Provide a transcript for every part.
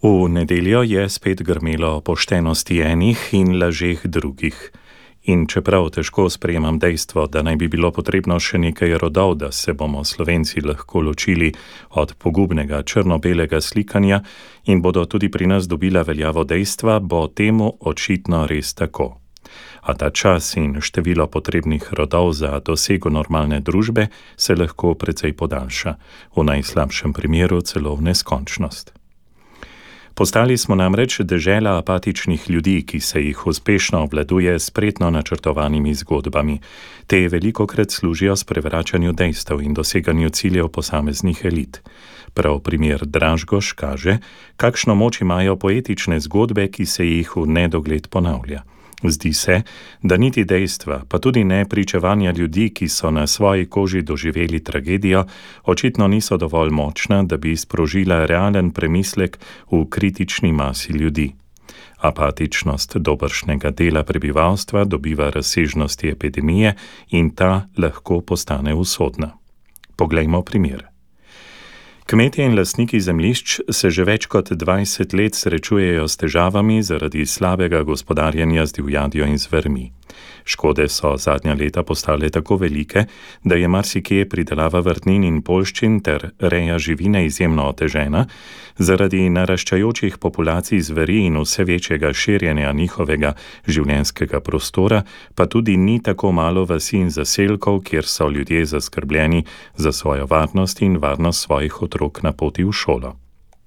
V nedeljo je spet grmelo o poštenosti enih in lažeh drugih. In čeprav težko sprejemam dejstvo, da naj bi bilo potrebno še nekaj rodov, da se bomo Slovenci lahko ločili od pogubnega črno-belega slikanja in bodo tudi pri nas dobila veljavo dejstva, bo temu očitno res tako. A ta čas in število potrebnih rodov za dosego normalne družbe se lahko precej podaljša, v najslabšem primeru celo v neskončnost. Postali smo namreč dežela apatičnih ljudi, ki se jih uspešno obvladuje s spretno načrtovanimi zgodbami. Te velikokrat služijo sprevračanju dejstev in doseganju ciljev posameznih elit. Prav primer Dražgoš kaže, kakšno moč imajo poetične zgodbe, ki se jih v nedogled ponavlja. Zdi se, da niti dejstva, pa tudi ne pričevanja ljudi, ki so na svoji koži doživeli tragedijo, očitno niso dovolj močna, da bi sprožila realen premislek v kritični masi ljudi. Apatičnost dobršnega dela prebivalstva dobiva razsežnosti epidemije in ta lahko postane usodna. Poglejmo primer. Kmetje in lastniki zemljišč se že več kot 20 let srečujejo s težavami zaradi slabega gospodarjenja z divjadjo in zvermi. Škode so zadnja leta postale tako velike, da je marsikje pridelava vrtnin in poljščin ter reja živine izjemno otežena, zaradi naraščajočih populacij zveri in vse večjega širjenja njihovega življenjskega prostora, pa tudi ni tako malo vasi in zaselkov, kjer so ljudje zaskrbljeni za svojo varnost in varnost svojih otrok na poti v šolo.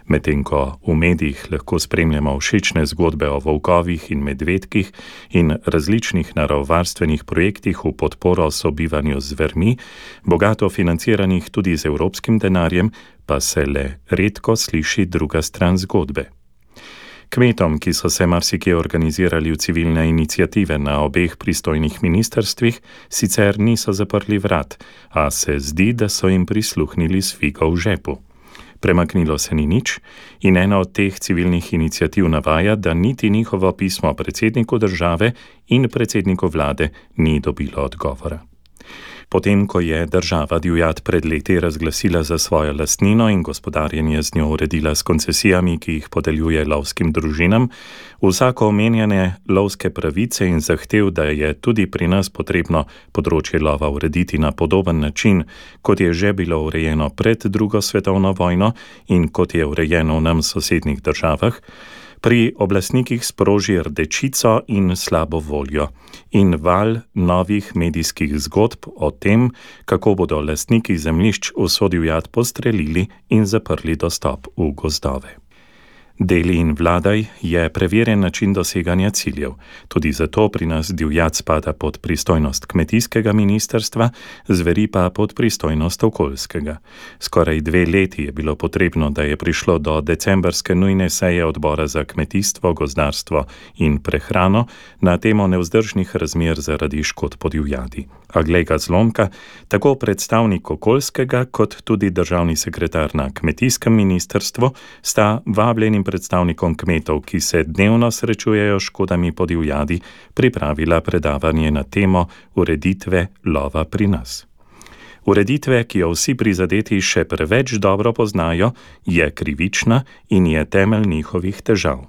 Medtem ko v medijih lahko spremljamo všečne zgodbe o volkovih in medvedkih in različnih naravovarstvenih projektih v podporo sobivanju z zvermi, bogato financiranih tudi z evropskim denarjem, pa se le redko sliši druga stran zgodbe. Kmetom, ki so se marsikje organizirali v civilne iniciative na obeh pristojnih ministrstvih, sicer niso zaprli vrat, a se zdi, da so jim prisluhnili s figo v žepu. Premaknilo se ni nič in ena od teh civilnih iniciativ navaja, da niti njihovo pismo predsedniku države in predsedniku vlade ni dobilo odgovora. Potem, ko je država divjad pred leti razglasila za svojo lastnino in gospodarjenje z njo uredila s koncesijami, ki jih podeljuje lovskim družinam, vsako omenjene lovske pravice in zahtev, da je tudi pri nas potrebno področje lova urediti na podoben način, kot je že bilo urejeno pred drugo svetovno vojno in kot je urejeno v nam sosednjih državah, pri oblastnikih sproži rdečico in slabo voljo in val novih medijskih zgodb o tem, kako bodo lastniki zemljišč vso divjad postrelili in zaprli dostop v gozdove. Deli in vladaj je preverjen način doseganja ciljev. Tudi zato pri nas divjad spada pod pristojnost kmetijskega ministrstva, zveri pa pod pristojnost okoljskega. Skoraj 2 leti je bilo potrebno, da je prišlo do decembrske nujne seje odbora za kmetijstvo, gozdarstvo in prehrano na temo nevzdržnih razmer zaradi škod po divjadi. A glej ga zlomka, tako predstavnik okoljskega kot tudi državni sekretar na kmetijskem ministrstvu sta vabljenim predstavnikom kmetov, ki se dnevno srečujejo škodami po divjadi, pripravila predavanje na temo ureditve lova pri nas. Ureditve, ki jo vsi prizadeti še preveč dobro poznajo, je krivična in je temelj njihovih težav.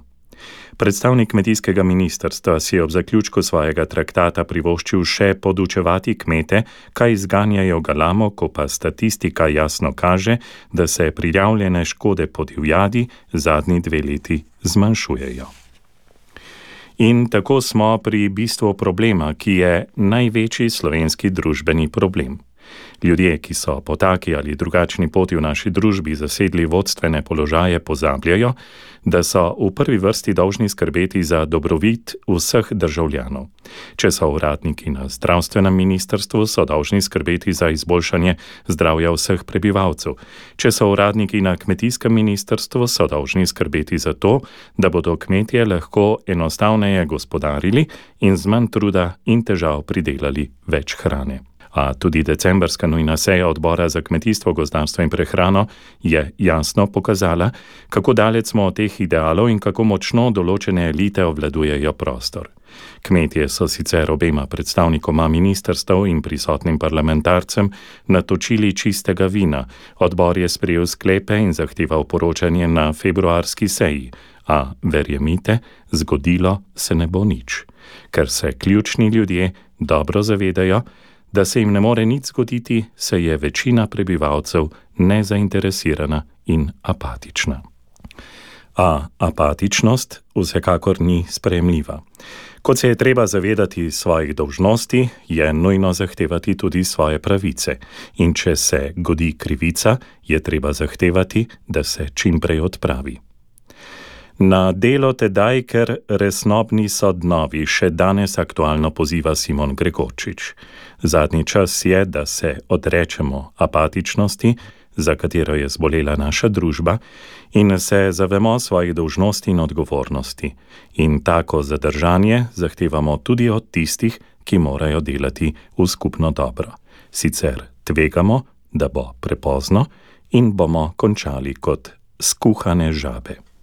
Predstavnik kmetijskega ministrstva si je ob zaključku svojega traktata privoščil še podučevati kmete, kaj zganjajo galamo, ko pa statistika jasno kaže, da se prijavljene škode po divjadi zadnji 2 leti zmanjšujejo. In tako smo pri bistvu problema, ki je največji slovenski družbeni problem. Ljudje, ki so po taki ali drugačni poti v naši družbi zasedli vodstvene položaje, pozabljajo, da so v prvi vrsti dolžni skrbeti za dobrobit vseh državljanov. Če so uradniki na zdravstvenem ministrstvu, so dolžni skrbeti za izboljšanje zdravja vseh prebivalcev. Če so uradniki na kmetijskem ministrstvu, so dolžni skrbeti za to, da bodo kmetje lahko enostavneje gospodarili in z manj truda in težav pridelali več hrane. A tudi decembrska nujna seja odbora za kmetijstvo, gozdarstvo in prehrano je jasno pokazala, kako daleč smo od teh idealov in kako močno določene elite obvladujejo prostor. Kmetje so sicer obema predstavnikoma ministrstev in prisotnim parlamentarcem natočili čistega vina. Odbor je sprejel sklepe in zahteval poročanje na februarski seji, a verjemite, zgodilo se ne bo nič, ker se ključni ljudje dobro zavedajo, da se jim ne more nič zgoditi, se je večina prebivalcev nezainteresirana in apatična. A apatičnost vsekakor ni sprejemljiva. Kot se je treba zavedati svojih dolžnosti, je nujno zahtevati tudi svoje pravice. In če se godi krivica, je treba zahtevati, da se čim prej odpravi. Na delo tedaj, ker resnobni so dnovi, še danes aktualno poziva Simon Gregorčič. Zadnji čas je, da se odrečemo apatičnosti, za katero je zbolela naša družba, in se zavemo svojih dolžnosti in odgovornosti. In tako zadržanje zahtevamo tudi od tistih, ki morajo delati v skupno dobro. Sicer tvegamo, da bo prepozno in bomo končali kot skuhane žabe.